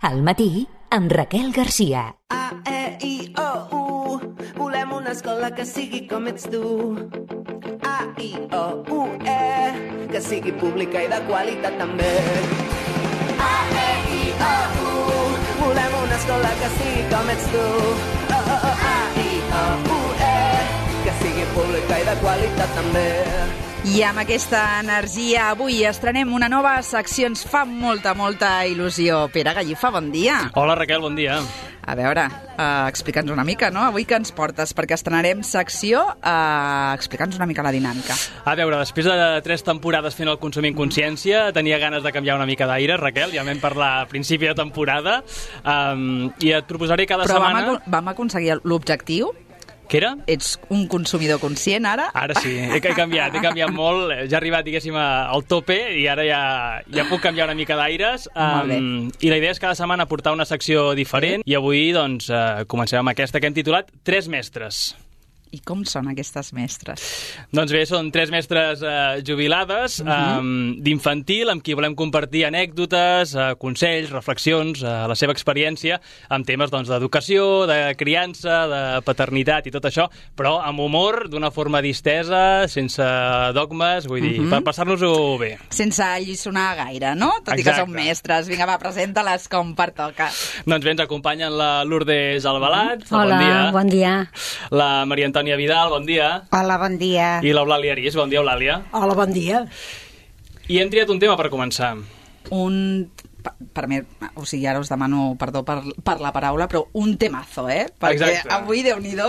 Al matí, amb Raquel Garcia. A-E-I-O-U, volem una escola que sigui com ets tu. A-I-O-U-E, que sigui pública i de qualitat també. A-E-I-O-U, volem una escola que sigui com ets tu. A-I-O-U-E, que sigui pública i de qualitat també. I amb aquesta energia avui estrenem una nova secció. Ens fa molta il·lusió. Pere Gallifa, bon dia. Hola Raquel, bon dia. A veure, explica'ns una mica, no? Avui que ens portes? Perquè estrenarem secció, explica'ns una mica la dinàmica. A veure, després de 3 temporades fent el Consumint Consciència, tenia ganes de canviar una mica d'aire, Raquel, ja vam parlar a principi de temporada, i et proposaré cada setmana... Però vam aconseguir l'objectiu? Què era? Ets un consumidor conscient, ara? Ara sí, he canviat molt, ja he arribat, diguéssim, al tope i ara ja puc canviar una mica d'aires. I la idea és cada setmana portar una secció diferent i avui, doncs, comencem amb aquesta que hem titulat 3 mestres. I com són aquestes mestres? Doncs bé, són 3 mestres jubilades d'infantil amb qui volem compartir anècdotes, consells, reflexions, la seva experiència amb temes d'educació, de criança, de paternitat i tot això, però amb humor, d'una forma distesa, sense dogmes, vull dir, per passar-nos-ho bé. Sense alliçonar gaire, no? Tot i que són mestres. Vinga, va, presenta-les com pertoca. Doncs bé, ens acompanyen la Lourdes Albalat. Hola, bon dia. La Maria Antònia Vidal, bon dia. Hola, bon dia. I l'Eulàlia Arís, bon dia, Eulàlia. Hola, bon dia. I hem triat un tema per començar. Per mi, o sigui, ara us demano perdó per la paraula, però un temazo, Perquè exacte. Avui, Déu-n'hi-do,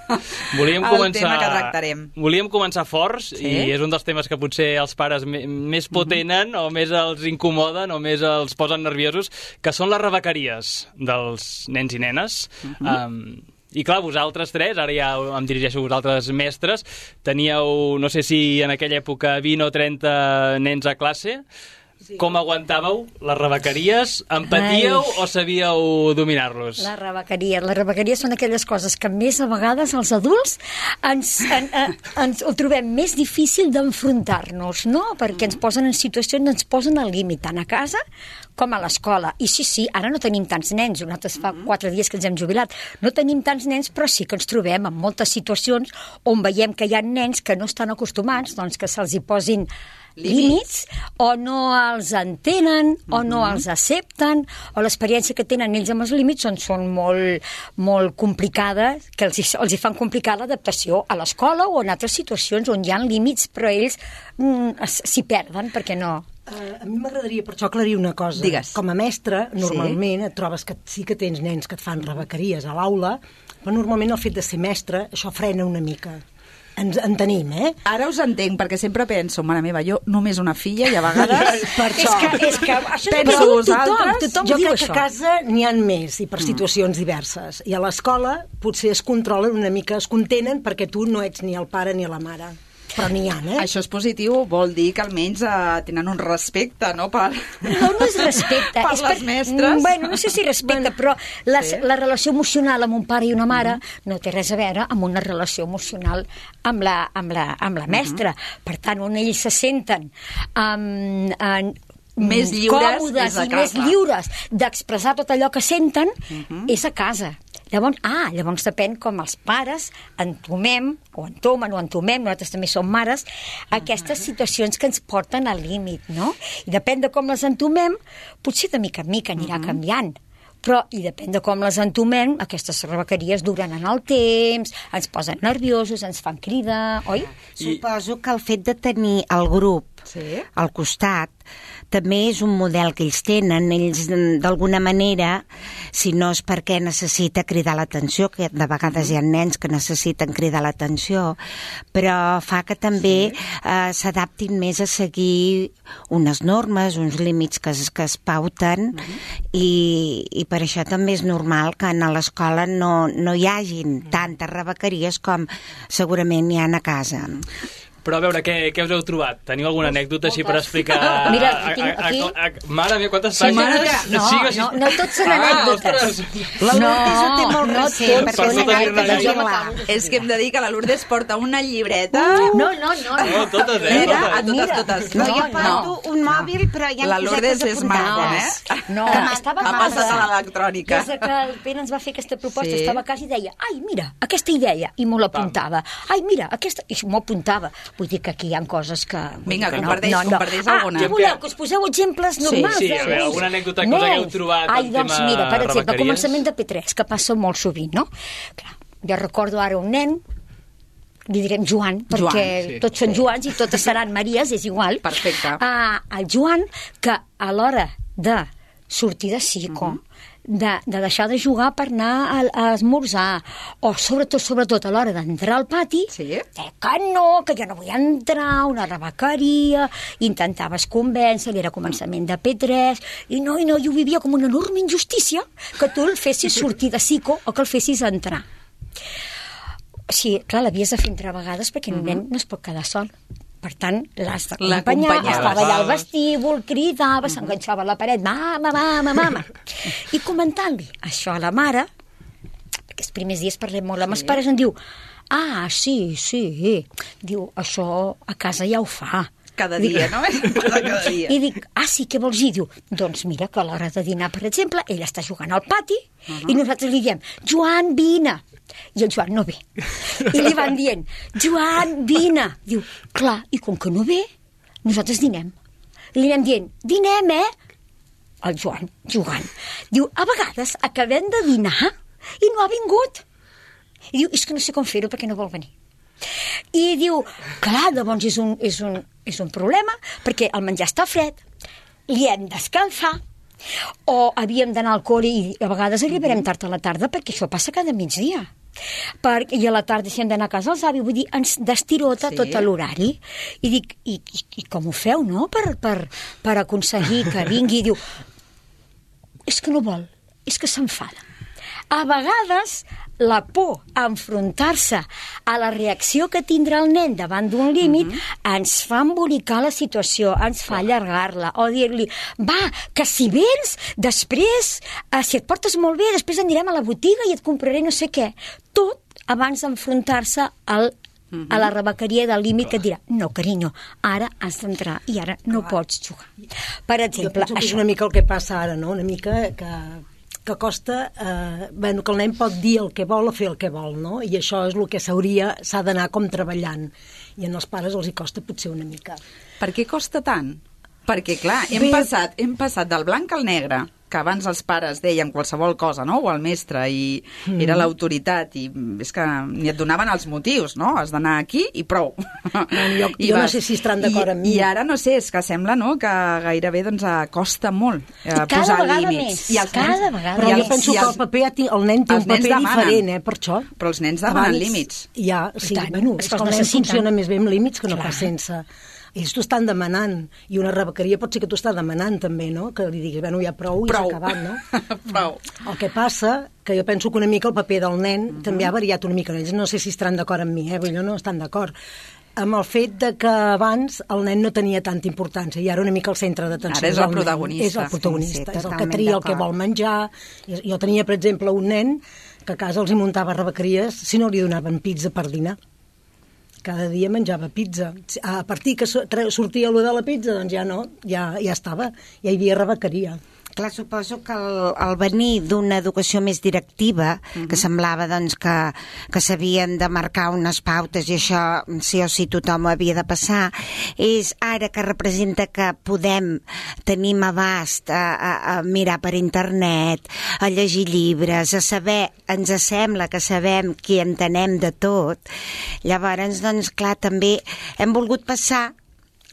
el tema que tractarem. Volíem començar forts, sí? I és un dels temes que potser els pares més por tenen, o més els incomoden, o més els posen nerviosos, que són les rebequeries dels nens i nenes. I clar, vosaltres 3, ara ja em dirigeixo a vosaltres mestres, teníeu, no sé si en aquella època 20 o 30 nens a classe. Sí. Com aguantàveu les rebequeries? Empatíeu o sabíeu dominar-los? Les rebequeries són aquelles coses que més a vegades els adults ens ho trobem més difícil d'enfrontar-nos, no? Perquè ens posen en situacions, ens posen al límit, tant a casa com a l'escola. I sí, ara no tenim tants nens, nosaltres fa 4 dies que ens hem jubilat, no tenim tants nens, però sí que ens trobem en moltes situacions on veiem que hi ha nens que no estan acostumats, doncs que se'ls hi posin límits, o no els entenen, o no els accepten, o l'experiència que tenen ells amb els límits són molt complicades, que els hi fan complicar l'adaptació a l'escola o en altres situacions on hi ha límits, però ells s'hi perden perquè no... A mi m'agradaria per això aclarir una cosa. Digues. Com a mestre, normalment et trobes que sí que tens nens que et fan rebequeries a l'aula, però normalment el fet de ser mestre, això frena una mica. Ens en tenim, Ara us entenc, perquè sempre penso, mare meva, jo només una filla i a vegades... per això. És que això penso vosaltres... Tothom jo diu crec això. que a casa n'hi ha més i per situacions diverses. I a l'escola potser es controlen una mica, es contenen perquè tu no ets ni el pare ni la mare. Però n'hi ha, Això és positiu, vol dir que almenys tenen un respecte, no? No és respecte. Per les mestres. Bueno, no sé si respecte, però la relació emocional amb un pare i una mare no té res a veure amb una relació emocional amb la mestra. Per tant, on ells se senten més lliures còmodes i més lliures d'expressar tot allò que senten és a casa. Llavors depèn com els pares entomem, nosaltres també som mares, aquestes situacions que ens porten al límit, no? I depèn de com les entomem, potser de mica en mica anirà canviant. Però, i depèn de com les entomem, aquestes rebequeries duren en el temps, ens posen nerviosos, ens fan cridar, oi? Suposo que el fet de tenir el grup al costat també és un model que ells tenen. Ells, d'alguna manera, si no és perquè necessita cridar l'atenció, que de vegades hi ha nens que necessiten cridar l'atenció, però fa que també s'adaptin més a seguir unes normes, uns límits que es pauten, i per això també és normal que a l'escola no hi hagin tantes rebequeries com segurament hi ha a casa. Però a veure, què us heu trobat? Teniu alguna anècdota així per explicar? Mira, aquí... Mare meva, quantes pàgines? No tots són anècdotes. La Lourdes ho té molt recent, perquè és anècdota. És que hem de dir que la Lourdes porta una llibreta... No. Totes, totes. No, jo porto un mòbil, però ja la hem Lourdes posat és smartphone, No, estava ha passat a l'electrònica. Des que el Pere ens va fer aquesta proposta, estava a casa i deia, ai, mira, aquesta idea, i m'ho l'apuntava. Ai, mira, aquesta... I m'ho apuntava. Vull dir que aquí hi ha coses que... Vinga, comparteix alguna. Què voleu, que us poseu exemples normals? Sí, alguna anècdota que us hagueu trobat al tema rebequeries? Mira, per exemple, començament de P3, que passa molt sovint, no? Clar, jo recordo ara un nen, li direm Joan, perquè tots són Joans i totes seran Maries, és igual. Perfecte. El Joan, que a l'hora de sortir de psico, de deixar de jugar per anar a esmorzar, o sobretot a l'hora d'entrar al pati, que jo no vull entrar, una rebequeria, intentaves convèncer, era començament de P3, i no, jo vivia com una enorme injustícia que tu el fessis sortir de psico o que el fessis entrar. Sí, clar, l'havies de fer entre vegades perquè el nen no es pot quedar sol. Per tant, l'has d'acompanyar, estava allà al vestíbul, cridava, s'enganxava a la paret, mama. I comentant-li això a la mare, perquè els primers dies parlem molt amb els pares, em diu, sí, diu, això a casa ja ho fa. Cada dia, no? Cada dia. I dic, sí, què vols dir? Diu, doncs mira que a l'hora de dinar, per exemple, ell està jugant al pati i nosaltres li diem, Joan, vine. I el Joan no ve. I li van dient, Joan, vine. Diu, clar, i com que no ve, nosaltres dinem. I li anem dient, dinem, El Joan, jugant. Diu, a vegades acabem de dinar i no ha vingut. I diu, és que no sé com fer-ho perquè no vol venir. I diu, clar, llavors és un problema perquè el menjar està fred, li hem d'escalfar, o havíem d'anar al col·le i a vegades arribarem tard a la tarda perquè això passa cada migdia. I a la tarda si hem d'anar a casa els avis, vull dir, ens destirota tot l'horari. I dic, i com ho feu, no?, per aconseguir que vingui. I diu, és que no vol, és que s'enfada. A vegades la por a enfrontar-se a la reacció que tindrà el nen davant d'un límit ens fa embolicar la situació, ens fa allargar-la, o dir-li, va, que si vens, després, si et portes molt bé, després anirem a la botiga i et compraré no sé què. Tot abans d'enfrontar-se a la rebequeria del límit que et dirà, no, carinyo, ara has d'entrar i ara no pots jugar. Per exemple, jo penso que és una mica el que passa ara, no? Una mica que costa, que el nen pot dir el que vol o fer el que vol, no? I això és el que s'ha d'anar com treballant. I en els pares els hi costa potser una mica. Per què costa tant? Perquè, clar, hem passat del blanc al negre, que abans els pares deien qualsevol cosa, no?, o el mestre, i era l'autoritat, i és que ni et donaven els motius, no?, has d'anar aquí i prou. Jo no sé si estaran d'acord amb mi. I ara, no sé, és que sembla, no?, que gairebé costa molt posar límits. I cada vegada més. Però jo penso que el nen té un paper diferent, per això. Però els nens demanen límits. Ja, sí, bueno, és que el nen funciona més bé amb límits que no pas sense. Ells t'ho estan demanant, i una rebequeria pot ser que t'ho està demanant també, no?, que li diguis, bueno, ja prou i s'ha acabat, no? Prou. El que passa, que jo penso que una mica el paper del nen també ha variat una mica, ells no sé si estaran d'acord amb mi, però no estan d'acord, amb el fet de que abans el nen no tenia tanta importància, i ara una mica el centre d'atenció. Ara és el protagonista. És el protagonista, és el que tria el que vol menjar. Jo tenia, per exemple, un nen que a casa els hi muntava rebequeries si no li donaven pizza per dinar. Cada dia menjava pizza. A partir que sortia allò de la pizza, doncs ja no, ja estava, ja hi havia rebequeria. Clar, suposo que al venir d'una educació més directiva, que semblava doncs, que s'havien de marcar unes pautes i això sí o sí tothom ho havia de passar, és ara que representa que tenim abast a mirar per internet, a llegir llibres, a saber, ens sembla que sabem qui entenem de tot. Llavors, doncs, clar, també hem volgut passar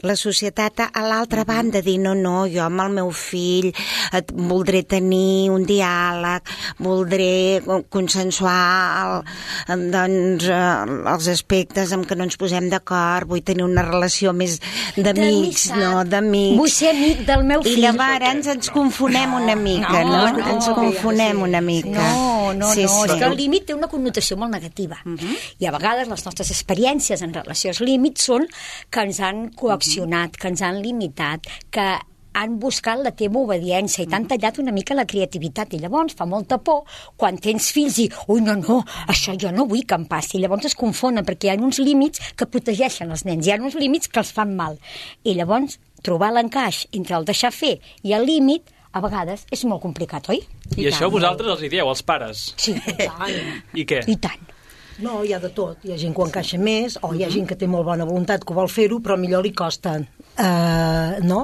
la societat a l'altra banda, dir no, jo amb el meu fill voldré tenir un diàleg, voldré consensuar els aspectes en què no ens posem d'acord, vull tenir una relació més d'amics, no, d'amics. Vull ser amic del meu fill. I llavors ens confonem una mica, no? Ens confonem una mica. és que el límit té una connotació molt negativa. I a vegades les nostres experiències en relació als límits són que ens han coaccionat, que ens han limitat, que han buscat la teva obediència i t'han tallat una mica la creativitat. I llavors fa molta por quan tens fills i ui, no, això jo no vull que em passi. I llavors es confonen perquè hi ha uns límits que protegeixen els nens, hi ha uns límits que els fan mal. I llavors trobar l'encaix entre el deixar fer i el límit a vegades és molt complicat, oi? I això vosaltres els hi dieu, els pares? Sí, i tant. I què? I tant. No, hi ha de tot. Hi ha gent que ho encaixa més, o hi ha gent que té molt bona voluntat, que vol fer-ho, però millor li costa. No?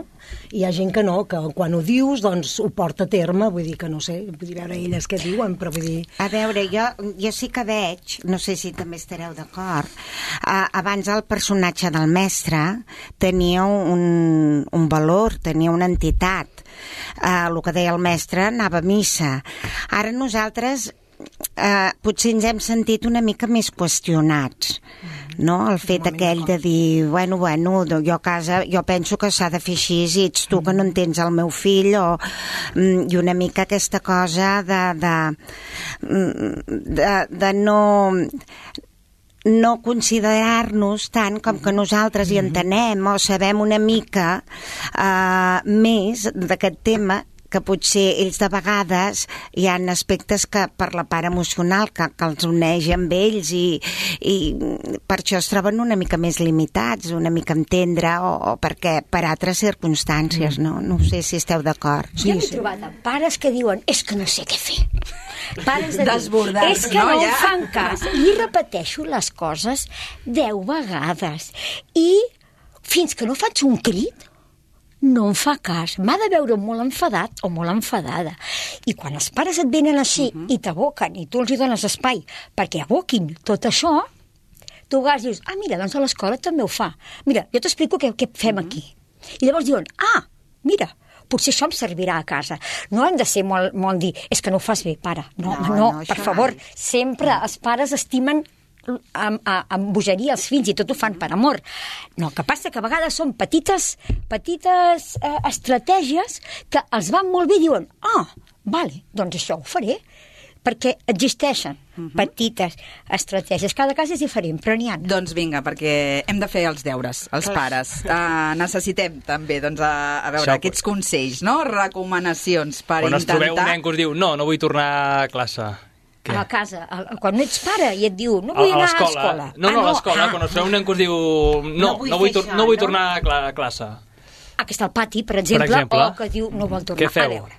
Hi ha gent que no, que quan ho dius, doncs ho porta a terme, vull dir que no sé, vull dir, veure elles què diuen, però vull dir... A veure, jo sí que veig, no sé si també estareu d'acord, abans el personatge del mestre tenia un valor, tenia una entitat. El que deia el mestre anava a missa. Ara nosaltres potser ens hem sentit una mica més qüestionats, no? El fet aquell de dir, bueno, jo a casa jo penso que s'ha de fer així i ets tu que no entens el meu fill, i una mica aquesta cosa de no considerar-nos tant com que nosaltres hi entenem o sabem una mica més d'aquest tema, que potser ells de vegades hi ha aspectes que per la part emocional que els uneix amb ells i per això es troben una mica més limitats, una mica entendre o perquè per altres circumstàncies, no? No sé si esteu d'acord. Jo m'he trobat amb pares que diuen és que no sé què fer. Pares de dir, és que no em fan cas. I repeteixo les coses 10 vegades. I fins que no faig un crit, no em fa cas, m'ha de veure molt enfadat o molt enfadada. I quan els pares et venen així i t'aboquen i tu els hi dones espai perquè aboquin tot això, tu a dius, mira, doncs a l'escola també ho fa. Mira, jo t'explico què fem aquí. I llavors diuen, mira, potser això em servirà a casa. No hem de ser molt dir, és que no ho fas bé, pare. No, per favor, sempre els pares estimen amb bogeria els fills i tot ho fan per amor. No, el que passa que a vegades són petites estratègies que els van molt bé i diuen, vale, doncs això ho faré, perquè existeixen petites estratègies. Cada cas és diferent, però n'hi ha. Doncs vinga, perquè hem de fer els deures, els pares. Necessitem també, doncs, a veure, aquests consells, no? Recomanacions per intentar... Quan us trobeu un nen que us diu, no vull tornar a classe. A la casa, quan no ets pare i et diu no vull anar a l'escola. No, a l'escola, quan us trobeu un nen que us diu no vull tornar a classe. Que està al pati, per exemple, o que diu no vol tornar. Què feu? A veure,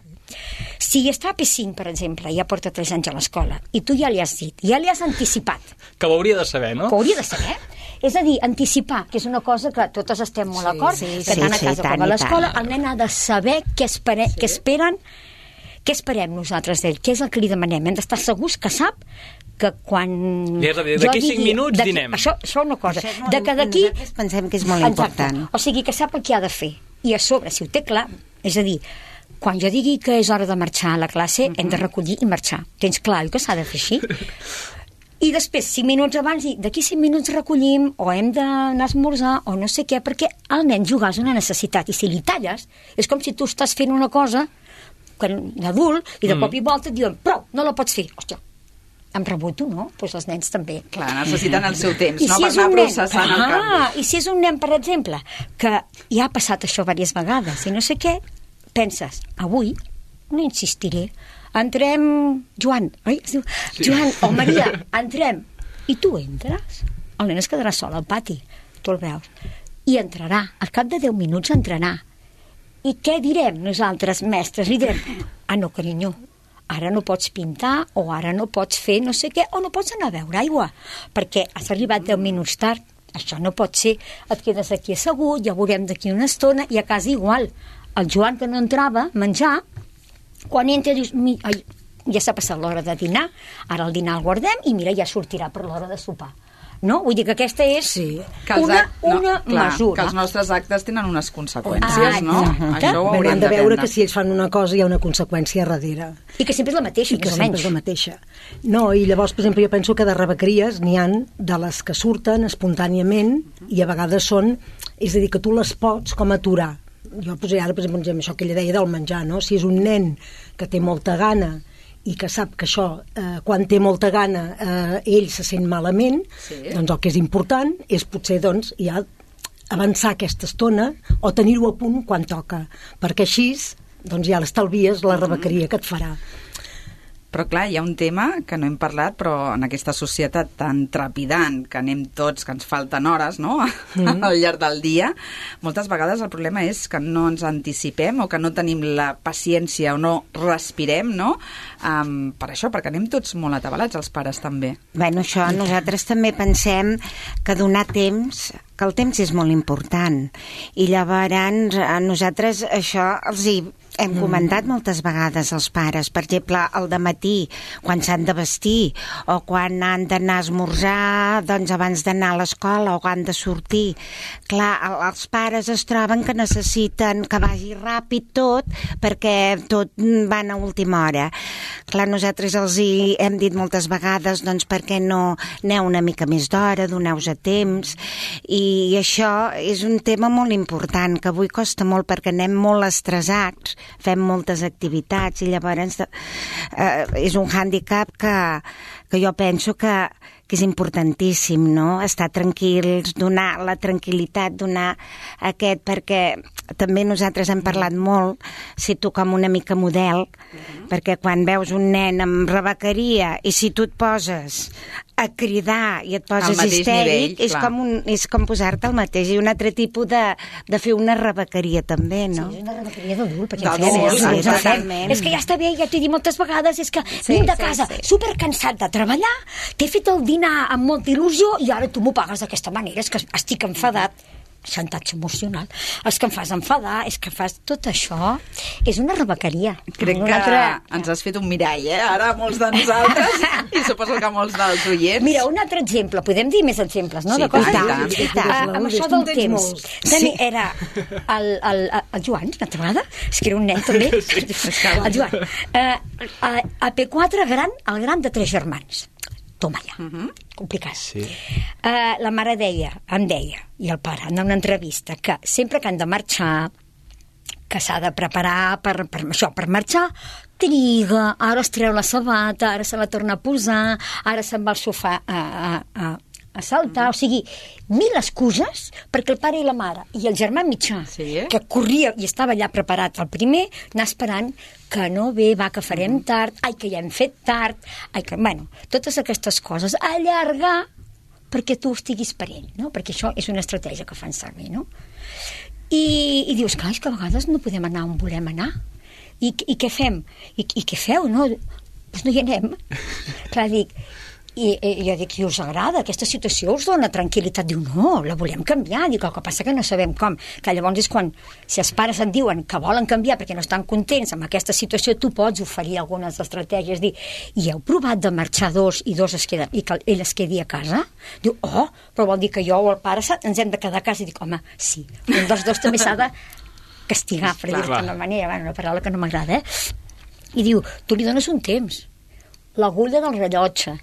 si està a P5, per exemple, ja porta 3 anys a l'escola, i tu ja li has dit, ja li has anticipat. Que ho hauria de saber, no? Que ho hauria de saber. És a dir, anticipar, que és una cosa que totes estem molt d'acord, que tant a casa com a l'escola, el nen ha de saber què esperen. Què esperem nosaltres d'ell? Què és el que li demanem? Hem d'estar segurs que sap que quan... D'aquí 5 minuts dinem. Això és una cosa. D'aquí... Pensem que és molt important. O sigui, que sap el que ha de fer. I a sobre, si ho té clar, és a dir, quan jo digui que és hora de marxar a la classe, hem de recollir i marxar. Tens clar que s'ha de fer així? I després, 5 minuts abans, d'aquí 5 minuts recollim, o hem d'anar a esmorzar, o no sé què, perquè el nen jugar és una necessitat. I si li talles, és com si tu estàs fent una cosa d'adult, i de cop i volta et diuen, prou, no la pots fer. Hòstia, em reboto, no? Doncs els nens també. Clar, necessiten el seu temps, no? Per anar processant el canvi. I si és un nen, per exemple, que ja ha passat això diverses vegades, i no sé què, penses, avui no insistiré, entrem, Joan, oi? Es diu, Joan o Maria, entrem. I tu entres. El nen es quedarà sol al pati, tu el veus. I entrarà, al cap de 10 minuts entrarà. I què direm nosaltres, mestres? Li direm, no, carinyo, ara no pots pintar, o ara no pots fer no sé què, o no pots anar a beure aigua, perquè has arribat 10 minuts tard. Això no pot ser. Et quedes aquí assegut, ja veurem d'aquí una estona, i a casa igual. El Joan, que no entrava a menjar, quan entra dius, ja s'ha passat l'hora de dinar, ara el dinar el guardem, i mira, ja sortirà per l'hora de sopar. No? Vull dir que aquesta és una mesura. Que els nostres actes tenen unes conseqüències, no? Això ho haurem de veure que si ells fan una cosa hi ha una conseqüència darrere. I que sempre és la mateixa, més o menys. I que sempre és la mateixa. No, i llavors, per exemple, jo penso que de rebequeries n'hi han de les que surten espontàniament i a vegades són... És a dir, que tu les pots com aturar. Jo posaré ara, per exemple, això que ella deia del menjar, no? Si és un nen que té molta gana i que sap que això, quan té molta gana, ell se sent malament, doncs el que és important és potser doncs, ja avançar aquesta estona o tenir-ho a punt quan toca, perquè així doncs, ja l'estalvies la rebequeria que et farà. Però clar, hi ha un tema que no hem parlat, però en aquesta societat tan trepidant, que anem tots, que ens falten hores, no?, al llarg del dia, moltes vegades el problema és que no ens anticipem o que no tenim la paciència o no respirem, no?, per això, perquè anem tots molt atabalats, els pares també. Bueno, això nosaltres també pensem que donar temps, que el temps és molt important, i llavors nosaltres això els hi hem comentat moltes vegades als pares, per exemple, al dematí, quan s'han de vestir, o quan han d'anar a esmorzar, doncs abans d'anar a l'escola, o quan han de sortir. Clar, els pares es troben que necessiten que vagi ràpid tot, perquè tot van a última hora. Clar, nosaltres els hi hem dit moltes vegades, doncs, per què no aneu una mica més d'hora, doneu-vos a temps, i això és un tema molt important, que avui costa molt perquè anem molt estressats, fem moltes activitats i llavors és un hàndicap que jo penso que és importantíssim, no?, estar tranquils, donar la tranquil·litat, donar aquest, perquè també nosaltres hem parlat molt, si tu com una mica model, perquè quan veus un nen amb rebequeria i si tu et poses a cridar i et poses histèric, és com posar-te al mateix, i un altre tipus de fer una rebequeria també, no? Sí, és una rebequeria d'adult, perquè és que ja està bé, ja t'he dit moltes vegades, és que vinc de casa supercansat de treballar, t'he fet el dinar amb molta il·lusió i ara tu m'ho pagues d'aquesta manera, és que estic enfadat. Xantatge emocional. És que em fas enfadar, és que fas tot això. És una rebequeria. Crec que ens has fet un mirall, ara molts de nosaltres i suposo que molts dels oients. Mira, un altre exemple, podem dir més exemples, no? Sí, amb això del temps. També era el Joan, una altra vegada, és que era un nen també, el Joan. A P4 el gran de 3 germans. Toma ja, complicat. Sí. La mare em deia, i el pare, en una entrevista, que sempre que han de marxar, que s'ha de preparar per marxar, triga, ara es treu la sabata, ara se la torna a posar, ara se'n va al sofà a saltar, o sigui, 1000 excuses perquè el pare i la mare i el germà mitjà, que corria i estava allà preparat el primer, anar esperant que no ve, va, que farem tard, ai, que ja hem fet tard, ai, que, bueno, totes aquestes coses, allargar perquè tu estiguis per ell, no? Perquè això és una estratègia que fan servir, no? I dius, clar, és que a vegades no podem anar on volem anar. I què fem? I què feu, no? Doncs no hi anem. Clar, dic, i jo dic, i us agrada aquesta situació, us dona tranquil·litat? Diu, no, la volem canviar. Dic, el que passa que no sabem com, que llavors és quan, si els pares et diuen que volen canviar perquè no estan contents amb aquesta situació, tu pots oferir algunes estratègies, dir, i heu provat de marxar 2 i 2 es queden, i que ell es quedi a casa? Diu, però vol dir que jo o el pare ens hem de quedar a casa. I dic, home, sí, un dels 2 també s'ha de castigar, per dir-ho d'una manera, una paraula que no m'agrada, I diu, tu li dones un temps, l'agulla del rellotge,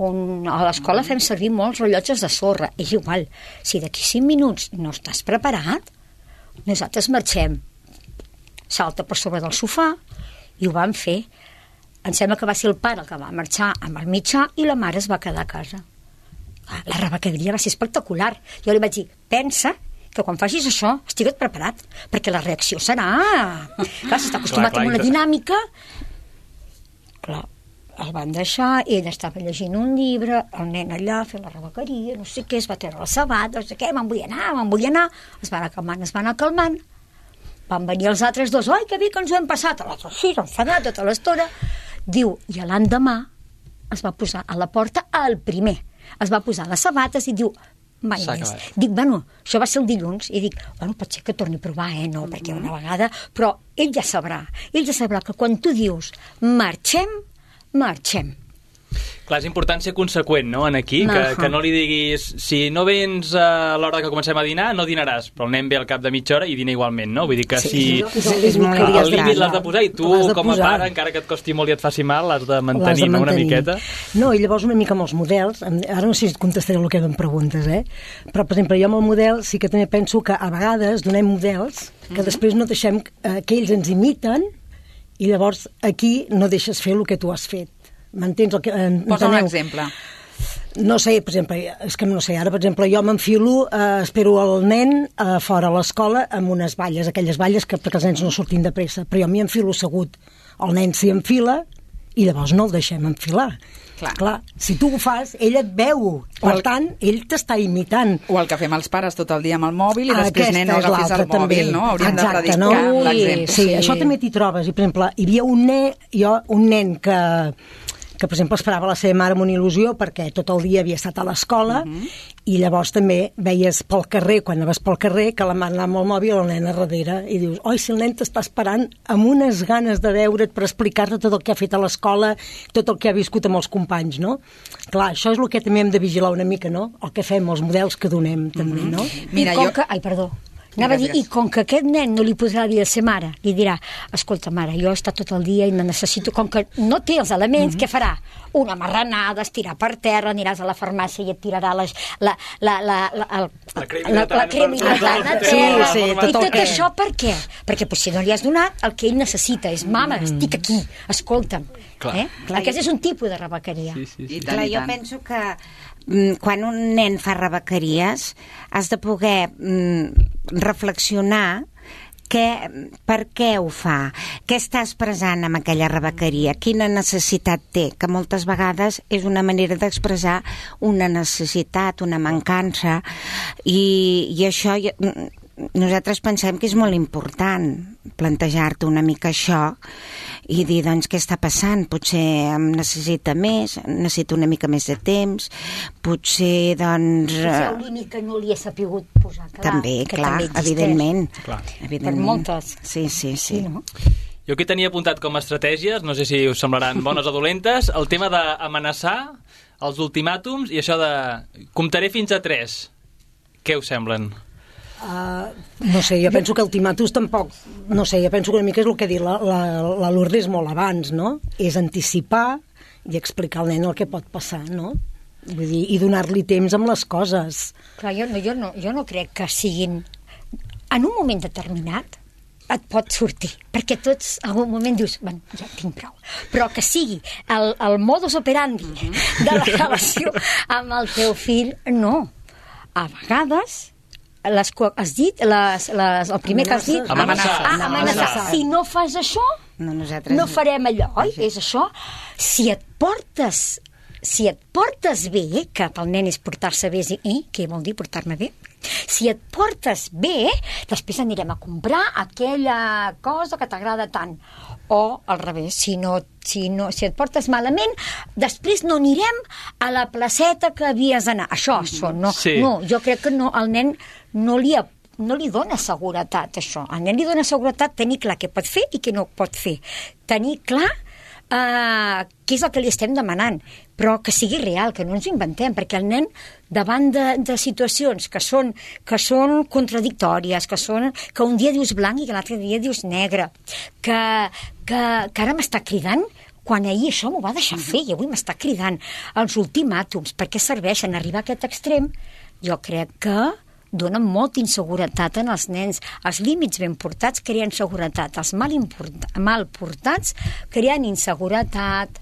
on a l'escola fem servir molts rellotges de sorra, és igual, si d'aquí 5 minuts no estàs preparat, nosaltres marxem. Salta per sobre del sofà, i ho vam fer. Em sembla que va ser el pare el que va marxar amb el mitjà i la mare es va quedar a casa. La rebequeria va ser espectacular. Jo li vaig dir, pensa que quan facis això estigues preparat, perquè la reacció serà... Clar, si està acostumat a una dinàmica... Clar, el van deixar, ell estava llegint un llibre, el nen allà fent la rebequeria, no sé què, es va treure el sabat, no sé què, me'n vull anar, es van anar calmant, van venir els altres 2, oi, que bé que ens ho hem passat, l'altre sí, enfadat tota l'estona, diu, i l'endemà es va posar a la porta el primer, es va posar les sabates i diu, mai més. Dic, bueno, això va ser el dilluns, i dic, bueno, pot ser que torni a provar, no, perquè una vegada, però ell ja sabrà que quan tu dius, marxem, Clar, és important ser conseqüent, no?, en aquí, que no li diguis, si no vens a l'hora que comencem a dinar, no dinaràs, però el nen ve al cap de mitja hora i dina igualment, no? Vull dir que si el límit l'has de posar i tu, com a pare, encara que et costi molt i et faci mal, l'has de mantenir, no?, una miqueta. No, i llavors una mica amb els models, ara no sé si et contestaré el que em preguntes, però, per exemple, jo amb el model sí que també penso que a vegades donem models que després no deixem que ells ens imiten I llavors aquí no deixes fer el que tu has fet. M'entens? Posa un exemple. No sé, per exemple, és que no sé, ara, per exemple, jo m'enfilo, espero el nen fora a l'escola amb unes valles, aquelles valles que perquè els nens no surtin de pressa, però jo m'hi enfilo assegut. El nen s'hi enfila i llavors no el deixem enfilar. Clar, si tu ho fas, ell et veu. Per tant, ell t'està imitant. O el que fem els pares tot el dia amb el mòbil i després, nen, no agafis el mòbil, no? Hauríem de predicar l'exemple. Sí, això també t'hi trobes. I, per exemple, hi havia un nen que per exemple, esperava la seva mare amb una il·lusió perquè tot el dia havia estat a l'escola i llavors també veies pel carrer, quan anaves pel carrer, que la mare anava amb el mòbil i el nen a darrere i dius, oi, si el nen t'està esperant amb unes ganes de veure't per explicar-te tot el que ha fet a l'escola, tot el que ha viscut amb els companys, no? Clar, això és el que també hem de vigilar una mica, no? El que fem, els models que donem, també, no? Mira, Ai, perdó. Anava a dir, i com que aquest nen no li podrà dir a la seva mare, li dirà, escolta, mare, jo he estat tot el dia i me necessito, com que no té els elements, què farà? Una marranada, estirar per terra, aniràs a la farmàcia i et tirarà la crema hidratant a terra. I tot això per què? Perquè si no li has donat, el que ell necessita és, mama, estic aquí, escolta'm. Aquest és un tipus de rebequeria. Clar, jo penso que quan un nen fa rebequeries has de poder reflexionar per què ho fa, què està expressant amb aquella rebequeria, quina necessitat té, que moltes vegades és una manera d'expressar una necessitat, una mancança, i això nosaltres pensem que és molt important plantejar-te una mica això i dir, doncs, què està passant? Potser em necessita més, necessito una mica més de temps, potser, doncs... Potser un límit que no li he sapigut posar, clar. També, clar, evidentment. Per moltes. Sí. No? Jo aquí tenia apuntat com a estratègies, no sé si us semblaran bones o dolentes, el tema d'amenaçar, els ultimàtums i això de comptaré fins a 3. Què us semblen? No sé, jo penso que ultimàtums tampoc, no sé, jo penso que una mica és el que ha dit la Lourdes molt abans, no? És anticipar i explicar al nen el que pot passar, no? Vull dir, i donar-li temps amb les coses. Clar, jo no crec que siguin... En un moment determinat et pot sortir, perquè tots en algun moment dius, bueno, ja tinc prou, però que sigui el modus operandi de la relació amb el teu fill, no. A vegades... has dit, el primer que has dit... Amenaçar. Si no fas això, no farem allò, oi? És això. Si et portes bé, que pel nen és portar-se bé, què vol dir portar-me bé? Si et portes bé, després anirem a comprar aquella cosa que t'agrada tant. O al revés, si et portes malament, després no anirem a la placeta que havies d'anar. Això, no. No, jo crec que no, al nen no li dona seguretat, això. Al nen li dona seguretat tenir clar què pot fer i què no pot fer. Tenir clar què és el que li estem demanant, però que sigui real, que no ens ho inventem, perquè el nen, davant de situacions que són contradictòries, que un dia dius blanc i que l'altre dia dius negre, que ara m'està cridant, quan ahir això m'ho va deixar fer i avui m'està cridant. Els ultimàtums, per què serveixen? Arribar a aquest extrem, jo crec que donen molta inseguretat en els nens. Els límits ben portats creen seguretat, els mal portats creen inseguretat.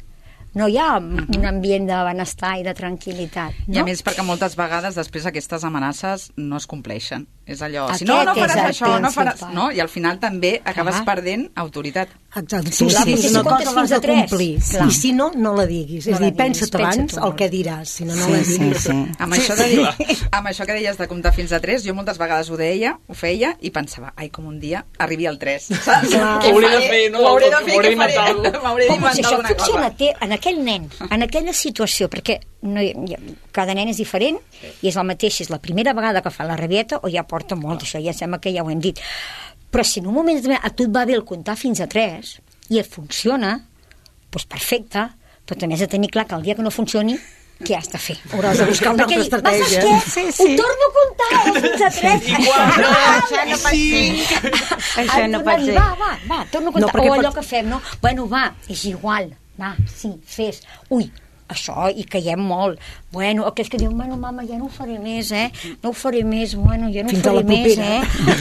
No hi ha un ambient de benestar i de tranquil·litat, no? I a més perquè moltes vegades després aquestes amenaces no es compleixen. És allò, si no faràs això, no faràs... No? I al final també acabes perdent autoritat. Exacte. Tu sabis una cosa l'has de complir. I si no, no la diguis. És a dir, pensa't abans el que diràs, si no, no la diguis. Amb això que deies de comptar fins a 3, jo moltes vegades ho feia i pensava, ai, com un dia arribi al 3. Ho hauré de fer, no? Ho hauré de fer, què faré? M'hauré d'inventar alguna cosa. Funciona en aquell nen, en aquella situació, perquè cada nen és diferent i és el mateix si és la primera vegada que fa la rabieta o ja porta molt, això ja sembla que ja ho hem dit, però si en un moment a tu et va bé el comptar fins a 3 i et funciona, doncs perfecte, però també has de tenir clar que el dia que no funcioni, què has de fer? Hauràs de buscar una altra estratègia. Ho torno a comptar fins a 3. Això no pot ser. Això no pot ser. Va, torno a comptar. O allò que fem, no? Bueno, va, és igual. Va, sí, fes. Ui, això, i caiem molt. Bueno, aquells que diuen, bueno, mama, ja no ho faré més, no ho faré més, bueno, ja no ho faré més,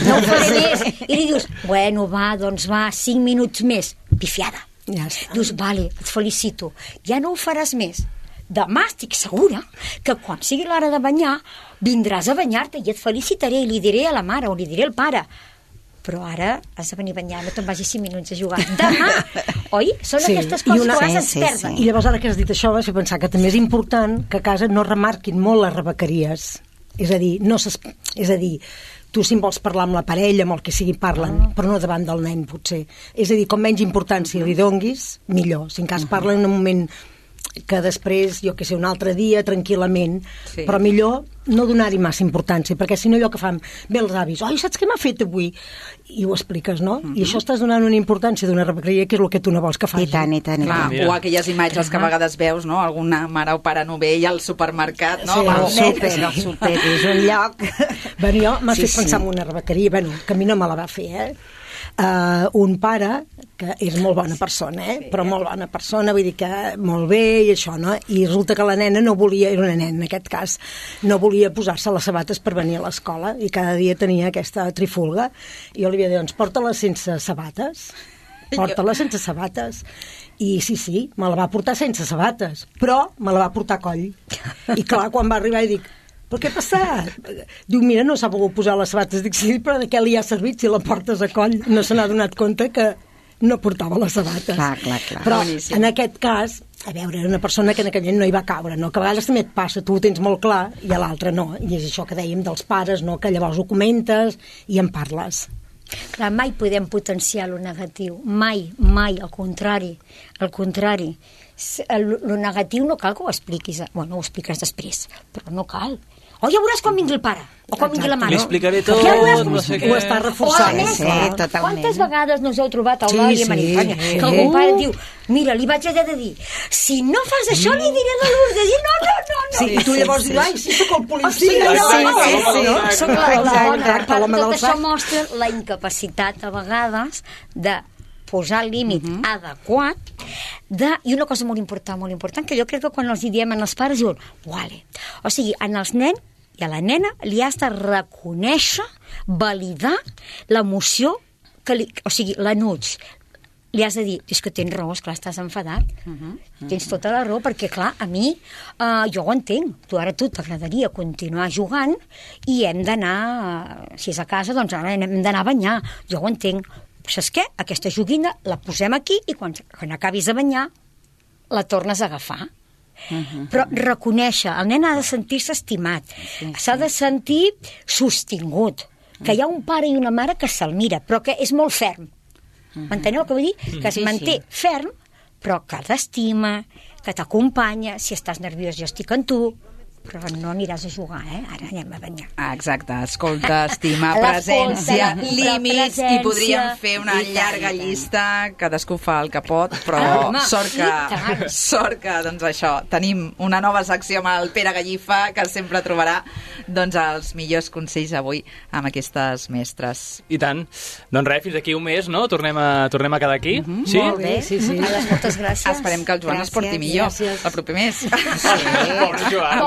no ho faré més. I li dius, bueno, va, doncs va, 5 minuts més. pifiada. Ja està. Dius, vale, et felicito, ja no ho faràs més. Demà estic segura que quan sigui l'hora de banyar vindràs a banyar-te i et felicitaré i li diré a la mare o li diré al pare. Però ara has de venir a banyar, no te'n vagis 5 minuts a jugar. Demà, oi? Són aquestes coses que a vegades ens perden. I llavors ara que has dit això vas fer pensar que també és important que a casa no remarquin molt les rebequeries. És a dir, tu si vols parlar amb la parella, amb el que sigui parlen, però no davant del nen, potser. És a dir, com menys importància li donguis, millor. Si en cas parlen en un moment que després, jo que sé, un altre dia, tranquil·lament, però millor no donar-hi massa importància, perquè si no allò que fan bé els avis, oi, saps què m'ha fet avui? I ho expliques, no? I això estàs donant una importància d'una rebequeria que és el que tu no vols que faci. I tant. Clar, o aquelles imatges que a vegades veus, no? Alguna mare o pare novell al supermercat, no? El súper és un lloc. Bueno, jo m'ha fet pensar en una rebequeria, que a mi no me la va fer, un pare que és molt bona persona, però molt bona persona, vull dir que molt bé i això, no? I resulta que la nena no volia, era una nena en aquest cas, no volia posar-se les sabates per venir a l'escola i cada dia tenia aquesta trifulga i jo li havia dit, doncs porta-la sense sabates, i sí, me la va portar sense sabates, però me la va portar a coll. I clar, quan va arribar i dic, però què ha passat? Diu, mira, no s'ha volgut posar les sabates. Dic, sí, però de què li ha servit si la portes a coll? No se n'ha donat compte que no portava les sabates. Clar. Però en aquest cas, a veure, era una persona que en aquell moment no hi va caure, no? Que a vegades també et passa, tu ho tens molt clar i a l'altre no. I és això que dèiem dels pares, no? Que llavors ho comentes i en parles. Clar, mai podem potenciar lo negatiu, mai, al contrari. Lo negatiu no cal que ho expliquis, bueno, ho expliques després, però no cal. Ja veuràs quan vingui el pare, o quan vingui la mare. Li explicaré tot, no sé què. Ho està reforçant. Totalment. Quantes vegades no us heu trobat al bar i a Marifanya, que algun pare diu, mira, li vaig haver de dir, si no fas això li diré a la Lourdes, i no. Sí, i tu llavors dius, ai, sí, sóc el policia. Sóc la bona. Tot això mostra la incapacitat, a vegades, de posar el límit adequat i una cosa molt important, que jo crec que quan els diem als pares diuen, vale. O sigui, en els nens i a la nena li has de reconèixer, validar l'emoció, o sigui, l'enuig. Li has de dir, és que tens raó, esclar, estàs enfadat. Tens tota la raó, perquè, clar, a mi, jo ho entenc. Tu t'agradaria continuar jugant i hem d'anar, si és a casa, doncs ara hem d'anar a banyar. Jo ho entenc. Saps què? Aquesta joguina la posem aquí i quan acabis de banyar la tornes a agafar. Però reconèixer, el nen ha de sentir-se estimat, s'ha de sentir sostingut, que hi ha un pare i una mare que se'l mira, però que és molt ferm. M'enteneu el que vull dir? Que es manté ferm, però que t'estima, que t'acompanya, si estàs nerviós jo estic amb tu, però no aniràs a jugar, ara anem a banyar. Exacte, escolta, estima, presència, límits, i podríem fer una llarga llista, cadascú fa el que pot, però sort que, doncs això, tenim una nova secció amb el Pere Gallifa, que sempre trobarà doncs els millors consells avui amb aquestes mestres. I tant. Doncs res, fins aquí un mes, no? Tornem a quedar aquí. Sí? Molt bé, sí. Moltes gràcies. Esperem que el Joan es porti millor el proper mes. Pobre Joan.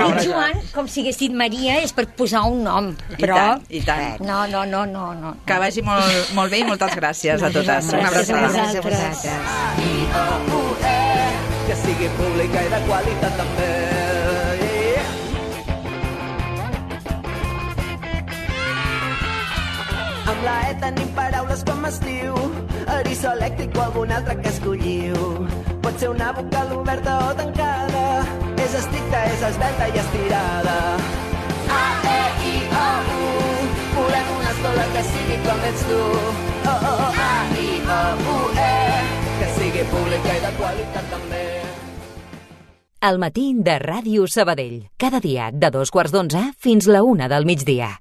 Pobre Joan, com si hagués dit Maria, és per posar un nom, però... I tant. No. Que vagi molt bé i moltes gràcies a totes. Una abraçada. Gràcies a vosaltres. Que sigui pública i de qualitat també. Amb la E tenim paraules com estiu, eriçó elèctric o algun altre que escolliu. Pot ser una vocal oberta o tancada, és estricta, és esvelta i estirada. A, E, I, O, U, volem una escola que sigui com ets tu. A, I, O, U, E, que sigui pública i de qualitat també. El matí de Ràdio Sabadell. Cada dia de 2:15 fins la 1 del migdia.